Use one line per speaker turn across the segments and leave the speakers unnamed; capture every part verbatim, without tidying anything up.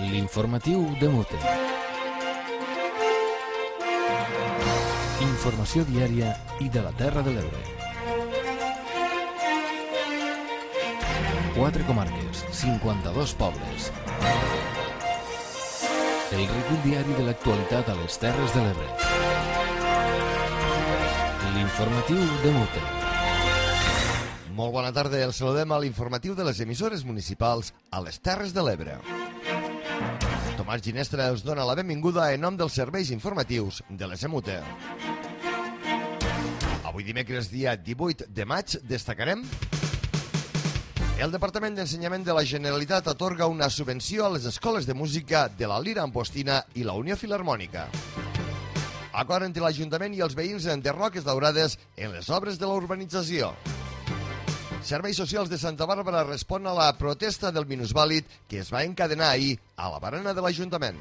L'informatiu de Mute. Informació diària i de la Terra de l'Ebre. Quatre comarques, cinquanta-dos pobles. El recull diari de l'actualitat a les Terres de l'Ebre. L'informatiu de Mute.
Molt bona tarda, el saludem a l'informatiu de les emissores municipals a les Terres de l'Ebre. Tomàs Ginestra els dona la benvinguda en nom dels serveis informatius de l'E S M U T E. Avui dimecres, dia divuit de maig, destacarem: el Departament d'Ensenyament de la Generalitat atorga una subvenció a les escoles de música de la Lira Ampostina i la Unió Filharmònica. Acord entre l'Ajuntament i els veïns de Roques Daurades en les obres de la urbanització. Serveis Socials de Santa Bàrbara respon a la protesta del minusvàlid que es va encadenar ahir a la barana de l'Ajuntament.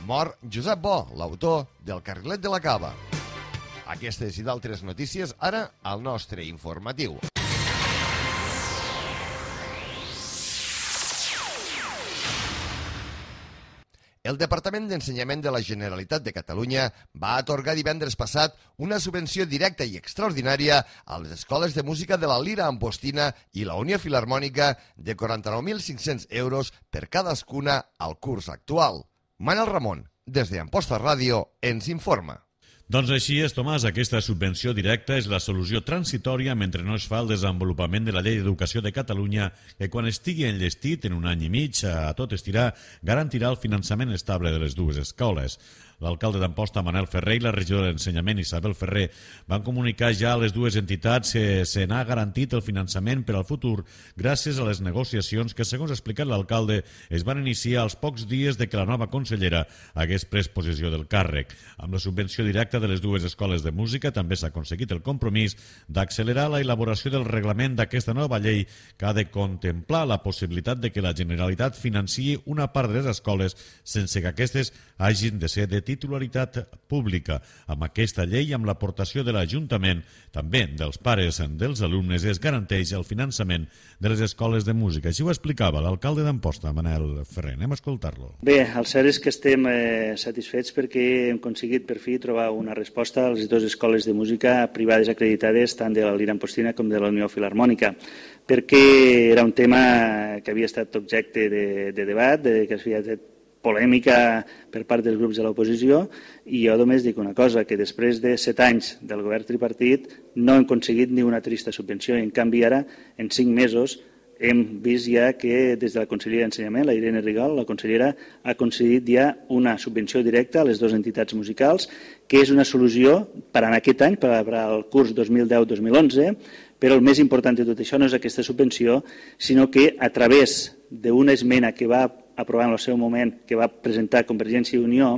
Mor Josep Bo, l'autor del Carrilet de la Cava. Aquestes i d'altres notícies ara al nostre informatiu. El Departament d'Ensenyament de la Generalitat de Catalunya va atorgar divendres passat una subvenció directa i extraordinària a les escoles de música de la Lira Ampostina i la Unió Filharmònica de quaranta-nou mil cinc-cents euros per cadascuna al curs actual. Manel Ramon, des d'Amposta Ràdio, ens informa.
Doncs així és, Tomàs, aquesta subvenció directa és la solució transitòria mentre no es fa el desenvolupament de la Llei d'Educació de Catalunya, que quan estigui enllestit en un any i mig a tot estirar, garantirà el finançament estable de les dues escoles. L'alcalde d'Amposta, Manel Ferrer, i la regidora d'Ensenyament, Isabel Ferrer, van comunicar ja a les dues entitats que se n'ha garantit el finançament per al futur gràcies a les negociacions que, segons ha explicat l'alcalde, es van iniciar als pocs dies de que la nova consellera hagués pres possessió del càrrec. Amb la subvenció directa de les dues escoles de música també s'ha aconseguit el compromís d'accelerar la elaboració del reglament d'aquesta nova llei que ha de contemplar la possibilitat de que la Generalitat financiï una part de les escoles sense que aquestes hagin de ser de titularitat pública. Amb aquesta llei i amb l'aportació de l'Ajuntament, també dels pares dels alumnes, es garanteix el finançament de les escoles de música. Així ho explicava l'alcalde d'Amposta, Manel Ferrer. Anem a escoltar-lo.
Bé, el cert és que estem eh, satisfets perquè hem aconseguit per fi trobar una resposta a les dues escoles de música privades acreditades, tant de la Lira Ampostina com de la Unió Filharmònica, perquè era un tema que havia estat objecte de, de debat, de, que havia estat polèmica per part dels grups de l'oposició, i jo només dic una cosa, que després de set anys del govern tripartit no hem aconseguit ni una trista subvenció, i en canvi ara, en cinc mesos, hem vist ja que des de la Conselleria d'Ensenyament, la Irene Rigol, la consellera, ha concedit ja una subvenció directa a les dues entitats musicals, que és una solució per a aquest any, per al curs dos mil deu dos mil onze, però el més important de tot això no és aquesta subvenció, sinó que a través d'una esmena que va aprovar en el seu moment, que va presentar Convergència i Unió,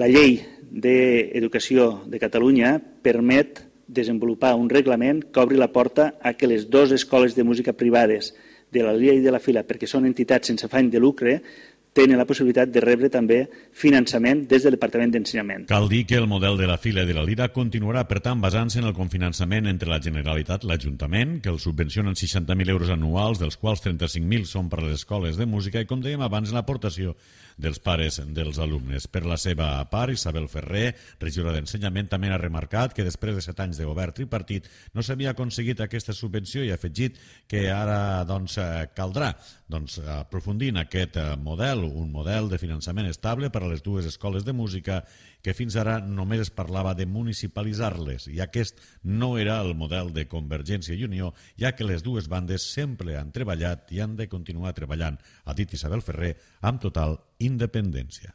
la Llei d'Educació de Catalunya permet desenvolupar un reglament que obri la porta a que les dues escoles de música privades de la Lira i de la Fila, perquè són entitats sense afany de lucre, tenen la possibilitat de rebre també finançament des del Departament d'Ensenyament.
Cal dir que el model de la Fila i de la Lira continuarà, per tant, basant-se en el cofinançament entre la Generalitat i l'Ajuntament, que els subvencionen seixanta mil euros anuals, dels quals trenta-cinc mil són per a les escoles de música, i, com dèiem abans, l'aportació dels pares dels alumnes. Per la seva part, Isabel Ferrer, regidora d'Ensenyament, també ha remarcat que després de set anys de govern tripartit no s'havia aconseguit aquesta subvenció i ha afegit que ara doncs, caldrà doncs, aprofundir en aquest model, un model de finançament estable per a les dues escoles de música que fins ara només es parlava de municipalitzar-les, i aquest no era el model de Convergència i Unió, ja que les dues bandes sempre han treballat i han de continuar treballant, ha dit Isabel Ferrer, amb total independència.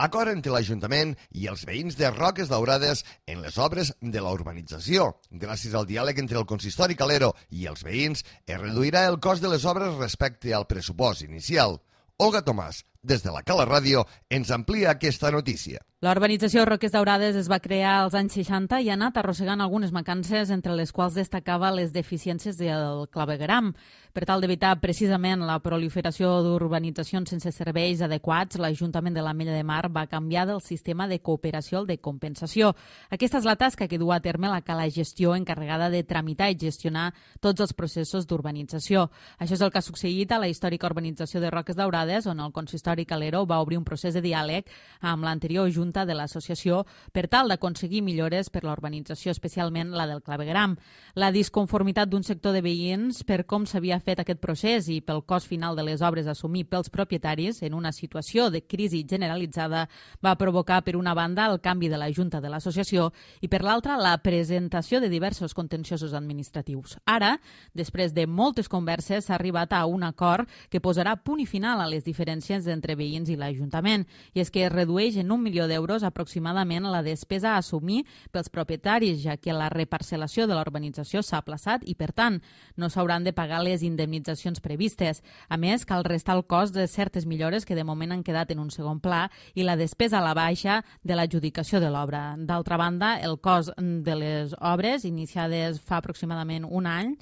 Acord entre l'Ajuntament i els veïns de Roques Daurades en les obres de la urbanització. Gràcies al diàleg entre el consistori Calero i els veïns, es reduirà el cost de les obres respecte al pressupost inicial. Olga Tomàs, des de la Cala Ràdio, ens amplia aquesta notícia.
La urbanització Roques Daurades es va crear als anys seixanta i ha anat arrossegant algunes mancances, entre les quals destacava les deficiències del clavegueram. Per tal d'evitar precisament la proliferació d'urbanitzacions sense serveis adequats, l'Ajuntament de l'Ametlla de Mar va canviar del sistema de cooperació al de compensació. Aquesta és la tasca que du a terme la cala gestió encarregada de tramitar i gestionar tots els processos d'urbanització. Això és el que ha succeït a la històrica urbanització de Roques Daurades, on el consistori Calero va obrir un procés de diàleg amb l'anterior Junta de l'associació per tal d'aconseguir millores per la urbanització, especialment la del clavegueram. La disconformitat d'un sector de veïns per com s'havia fet aquest procés i pel cost final de les obres a assumir pels propietaris en una situació de crisi generalitzada va provocar, per una banda, el canvi de la Junta de l'associació i, per l'altra, la presentació de diversos contenciosos administratius. Ara, després de moltes converses, s'ha arribat a un acord que posarà punt i final a les diferències entre veïns i l'Ajuntament, i és que es redueix en un milió d'euros aproximadament la despesa a assumir pels propietaris, ja que la reparcel·lació de la urbanització s'ha aplaçat i, per tant, no s'hauran de pagar les indemnitzacions previstes. A més, cal restar el cost de certes millores que de moment han quedat en un segon pla i la despesa a la baixa de l'adjudicació de l'obra. D'altra banda, el cost de les obres iniciades fa aproximadament un any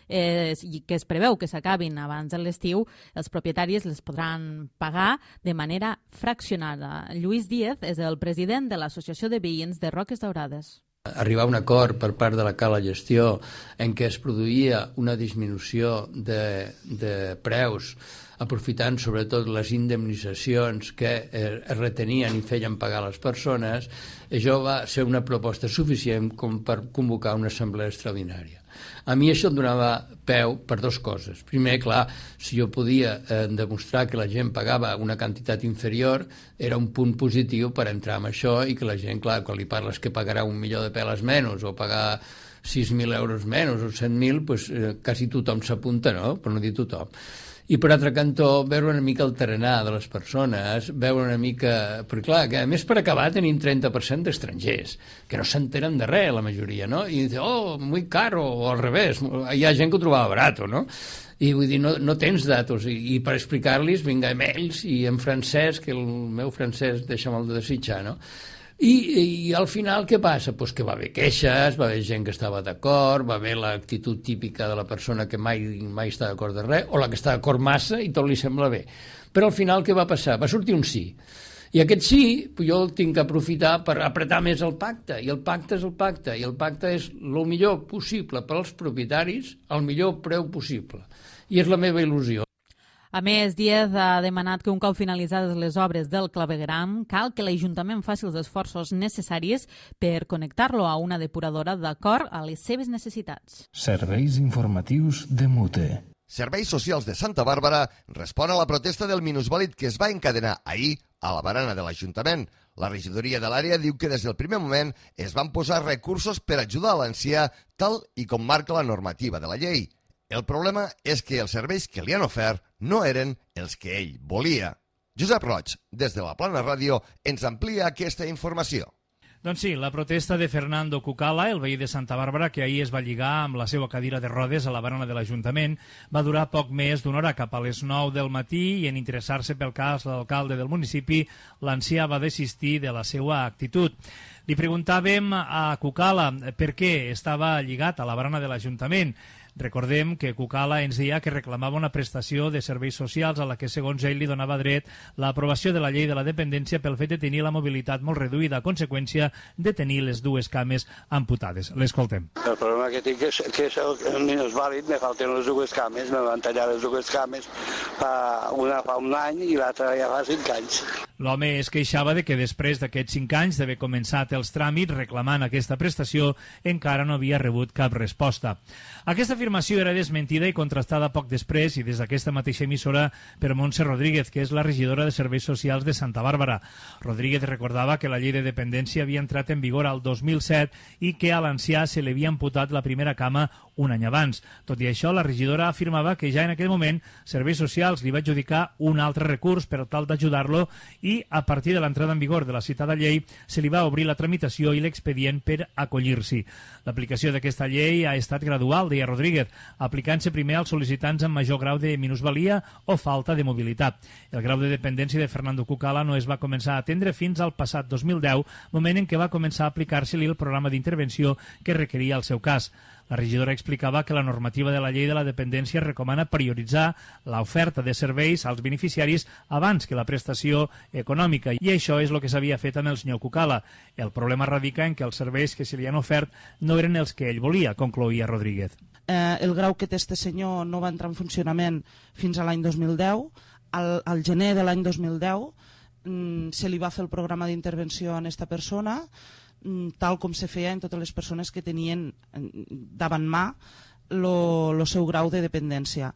eh, i que es preveu que s'acabin abans de l'estiu, els propietaris les podran pagar de manera fraccionada. Lluís Díez és el president de l'Associació de Veïns de Roques Daurades.
Arribar a un acord per part de la cala gestió en què es produïa una disminució de, de preus, aprofitant sobretot les indemnitzacions que es retenien i feien pagar les persones, això va ser una proposta suficient com per convocar una assemblea extraordinària. A mi això em donava peu per dues coses. Primer, clar, si jo podia eh, demostrar que la gent pagava una quantitat inferior, era un punt positiu per entrar en això i que la gent, clar, quan li parles que pagarà un milió de peles menys o pagar sis mil euros menys o cent mil, pues, eh, quasi tothom s'apunta, no? Per no dir tothom. I per altre cantó, veure una mica el tarannà de les persones, veure una mica... Perquè clar, que a més per acabar tenim trenta per cent d'estrangers, que no s'enteren de res, la majoria, no? I dice, oh, muy caro, o al revés, hi ha gent que ho trobava barato, no? I vull dir, no, no tens datos, i, i per explicar-los vinga amb ells, i en francès, que el meu francès deixa molt de desitjar, no? I, i al final què passa? Pues que va haver queixes, va haver gent que estava d'acord, va haver l'actitud típica de la persona que mai, mai està d'acord de res, o la que està d'acord massa i tot li sembla bé. Però al final què va passar? Va sortir un sí. I aquest sí, jo el tinc que aprofitar per apretar més el pacte, i el pacte és el pacte, i el pacte és el millor possible per als propietaris, al millor preu possible. I és la meva il·lusió.
A més, Díez ha demanat que un cop finalitzades les obres del clavegueram, cal que l'Ajuntament faci els esforços necessaris per connectar-lo a una depuradora d'acord a les seves necessitats.
Serveis informatius de Mute.
Serveis Socials de Santa Bàrbara respon a la protesta del minusvàlid que es va encadenar ahir a la barana de l'Ajuntament. La regidoria de l'àrea diu que des del primer moment es van posar recursos per ajudar a l'ancià tal i com marca la normativa de la llei. El problema és que els serveis que li han ofert no eren els que ell volia. Josep Roig, des de la Plana Ràdio, ens amplia aquesta informació.
Doncs sí, la protesta de Fernando Cucala, el veí de Santa Bàrbara, que ahir es va lligar amb la seva cadira de rodes a la barana de l'Ajuntament, va durar poc més d'una hora, cap a les nou del matí, i en interessar-se pel cas de l'alcalde del municipi, l'ancià va desistir de la seva actitud. Li preguntàvem a Cucala per què estava lligat a la barana de l'Ajuntament. Recordem que Cucala ens deia que reclamava una prestació de serveis socials a la que, segons ell, li donava dret l'aprovació de la llei de la dependència pel fet de tenir la mobilitat molt reduïda, a conseqüència de tenir les dues cames amputades. L'escoltem.
El problema que tinc és que soc minusvàlid, me falten les dues cames, me van tallar les dues cames fa, una fa un any i l'altra ja fa cinc anys.
L'home es queixava de que després d'aquests cinc anys d'haver començat els tràmits reclamant aquesta prestació encara no havia rebut cap resposta. Aquesta afirmació era desmentida i contrastada poc després i des d'aquesta mateixa emissora per Montse Rodríguez, que és la regidora de Serveis Socials de Santa Bàrbara. Rodríguez recordava que la llei de dependència havia entrat en vigor al dos mil set i que a l'ancià se li havia amputat la primera cama un any abans. Tot i això, la regidora afirmava que ja en aquell moment Serveis Socials li va adjudicar un altre recurs per tal d'ajudar-lo i i, a partir de l'entrada en vigor de la citada llei, se li va obrir la tramitació i l'expedient per acollir-s'hi. L'aplicació d'aquesta llei ha estat gradual, deia Rodríguez, aplicant-se primer als sol·licitants amb major grau de minusvalia o falta de mobilitat. El grau de dependència de Fernando Cucala no es va començar a atendre fins al passat dos mil deu, moment en què va començar a aplicar-se-li el programa d'intervenció que requeria el seu cas. La regidora explicava que la normativa de la llei de la dependència recomana prioritzar l'oferta de serveis als beneficiaris abans que la prestació econòmica, i això és el que s'havia fet amb el senyor Cucala. El problema radica en que els serveis que se li han ofert no eren els que ell volia, concloïa Rodríguez.
Eh, el grau que té este senyor no va entrar en funcionament fins a l'any dos mil deu. Al, al gener de l'any dos mil deu mm, se li va fer el programa d'intervenció a aquesta persona, tal com se feia en totes les persones que tenien davant mà el seu grau de dependència.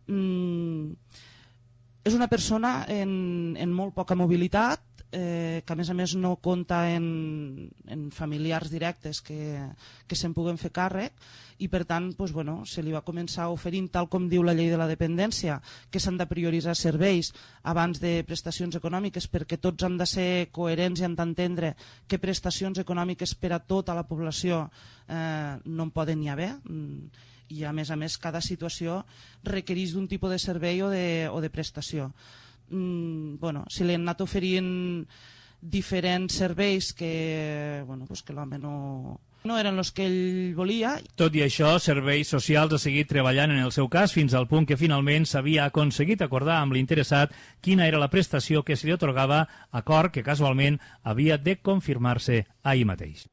Mm, és una persona en, en molt poca mobilitat, eh, que a més a més no compta en, en familiars directes que, que se'n puguen fer càrrec, i per tant doncs, bueno, se li va començar oferint, tal com diu la llei de la dependència, que s'han de prioritzar serveis abans de prestacions econòmiques, perquè tots han de ser coherents i han d'entendre que prestacions econòmiques per a tota la població eh, no en poden hi haver, i a més a més cada situació requereix d'un tipus de servei o de, o de prestació. Mm, bueno, si li han anat oferint diferents serveis que, bueno, pues que l'home no... no eren els que ell volia.
Tot i això, Serveis Socials ha seguit treballant en el seu cas fins al punt que finalment s'havia aconseguit acordar amb l'interessat quina era la prestació que se li atorgava, acord que casualment havia de confirmar-se ahir mateix.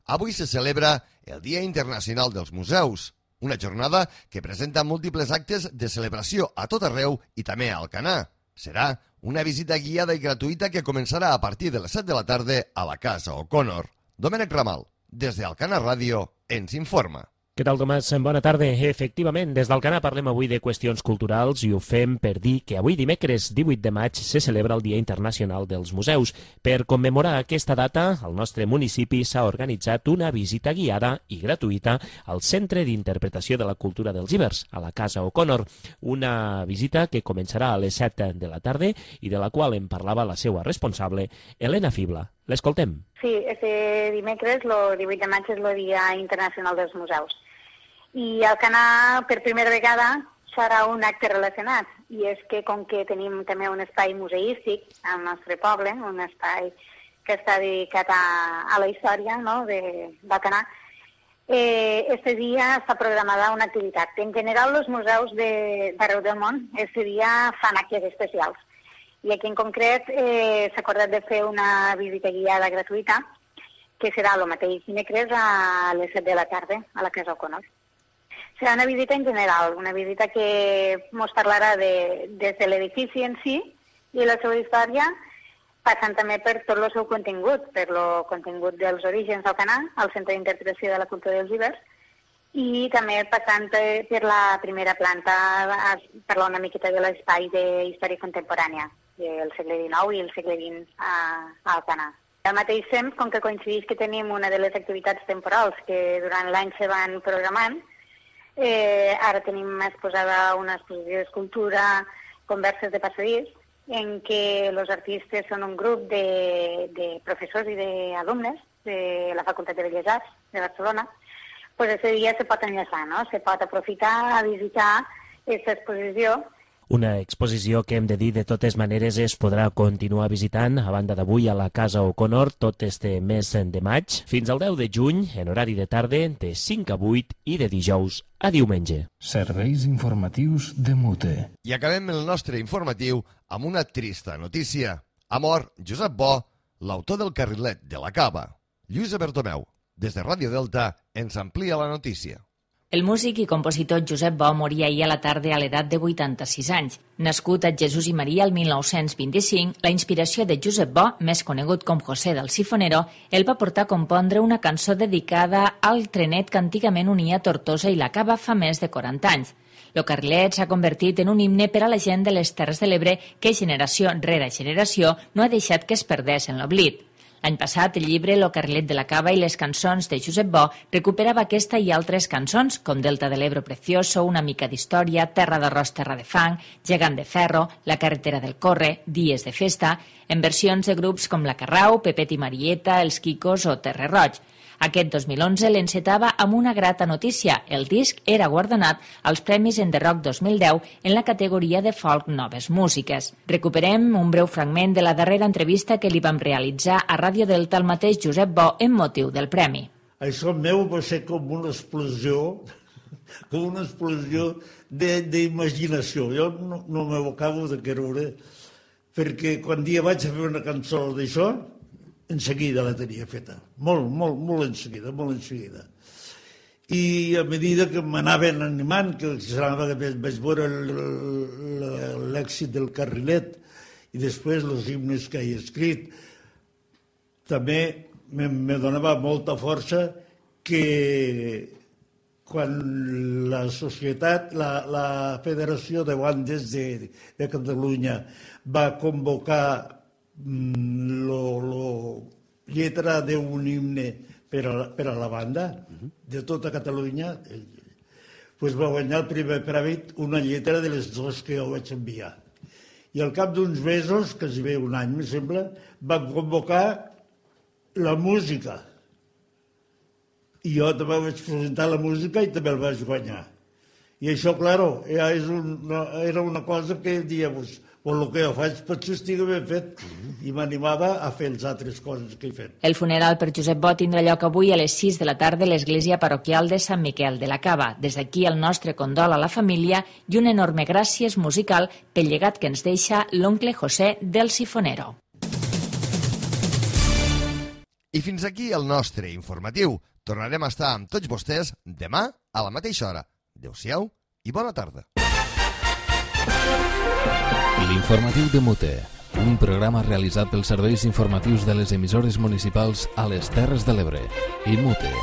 Avui se celebra el Dia Internacional dels Museus, una jornada que presenta múltiples actes de celebració a tot arreu i també a Alcanar. Serà una visita guiada i gratuïta que començarà a partir de les set de la tarda a la Casa O'Connor. Domènec Ramal, des d'Alcanar Ràdio, ens informa.
Què tal, Tomàs? Bona tarda. Efectivament, des d'Alcanar parlem avui de qüestions culturals i ho fem per dir que avui dimecres divuit de maig se celebra el Dia Internacional dels Museus. Per commemorar aquesta data, al nostre municipi s'ha organitzat una visita guiada i gratuïta al Centre d'Interpretació de la Cultura dels Ibers, a la Casa O'Connor. Una visita que començarà a les set de la tarda i de la qual en parlava la seva responsable, Helena Fibla. L'escoltem.
Sí, este dimecres, el divuit de maig, és el Dia Internacional dels Museus. I Alcanar, per primera vegada, serà un acte relacionat. I és que, com que tenim també un espai museístic al nostre poble, un espai que està dedicat a, a la història, no?, d'Alcanar, eh, este dia està programada una activitat. En general, els museus d'arreu del món, este dia fan actes especials. I aquí en concret eh, s'ha acordat de fer una visita guiada gratuïta, que serà el mateix dimecres a les set de la tarda a la Casa O'Connor. Serà una visita en general, una visita que ens parlarà de, des de l'edifici en si i la seva història, passant també per tot el seu contingut, per el contingut dels orígens d'Alcanar, al Centre d'Interpretació de la Cultura dels Ibers, i també passant per la primera planta a parlar una miqueta de l'espai de història contemporània del segle dinou i el segle vint a, a Alcanar. Al mateix temps, com que coincideix que tenim una de les activitats temporals que durant l'any se van programant, eh, ara tenim exposada una exposició d'escultura, converses de passadís, en què els artistes són un grup de, de professors i d'alumnes de la Facultat de Belles Arts de Barcelona. Pues ese dia se pot enllaçar, no? Se pot aprofitar a visitar aquesta exposició.
Una exposició que hem de dir de totes maneres es podrà continuar visitant a banda d'avui a la Casa O'Connor tot este mes de maig fins al deu de juny en horari de tarda de cinc a vuit i de dijous a diumenge.
Serveis informatius de Mute.
I acabem el nostre informatiu amb una trista notícia. Ha mort Josep Bo, l'autor del carrilet de la Cava. Lluïsa Bertomeu, des de Ràdio Delta, ens amplia la notícia.
El músic i compositor Josep Bo moria ahir a la tarda a l'edat de vuitanta-sis anys. Nascut a Jesús i Maria el mil nou-cents vint-i-cinc, la inspiració de Josep Bo, més conegut com José del Sifonero, el va portar a compondre una cançó dedicada al trenet que antigament unia Tortosa i la Cava fa més de quaranta anys. El carrilet s'ha convertit en un himne per a la gent de les Terres de l'Ebre que generació rere generació no ha deixat que es perdés en l'oblit. L'any passat, el llibre Lo carrilet de la cava i les cançons de Josep Bo recuperava aquesta i altres cançons, com Delta de l'Ebro Precioso, Una mica d'història, Terra d'arròs, terra de fang, Gegant de ferro, La carretera del Corre, Dies de festa, en versions de grups com La Carrau, Pepet i Marieta, Els Quicos o Terre Roig. Aquest dos mil onze l'encetava amb una grata notícia. El disc era guardonat als Premis en The Rock dos mil deu en la categoria de folk noves músiques. Recuperem un breu fragment de la darrera entrevista que li vam realitzar a Ràdio Delta al mateix Josep Bo en motiu del premi.
Això meu va ser com una explosió, com una explosió d'imaginació. Jo no, no m'ho acabo de creure, perquè quan dia vaig a fer una cançó d'això, en seguida la tenia feta, molt, molt, molt en seguida, molt en seguida. I a mesura que m'anaven animant, que vaig veure l'èxit del carrilet i després els himnes que he escrit, també me donava molta força que quan la societat, la, la Federació de Bandes de, de Catalunya va convocar la lletra d'un himne per a, per a la banda de tota Catalunya, pues va guanyar el primer premi una lletra de les dues que jo vaig enviar. I al cap d'uns mesos, quasi bé un any, me sembla, van convocar la música. I jo també vaig presentar la música i també el vaig guanyar. I això, claro, era una cosa que dia, pues, per el que jo faig potser estigui ben fet, i m'animava a fer les altres coses que he fet.
El funeral per Josep Bo tindrà lloc avui a les sis de la tarda a l'església parroquial de Sant Miquel de la Cava. Des d'aquí el nostre condol a la família i un enorme gràcies musical pel llegat que ens deixa l'oncle José del Sifonero.
I fins aquí el nostre informatiu. Tornarem a estar amb tots vostès demà a la mateixa hora. Adéu-siau i bona tarda.
L'informatiu de Mute, un programa realitzat pels serveis informatius de les emissores municipals a les Terres de l'Ebre i Mute.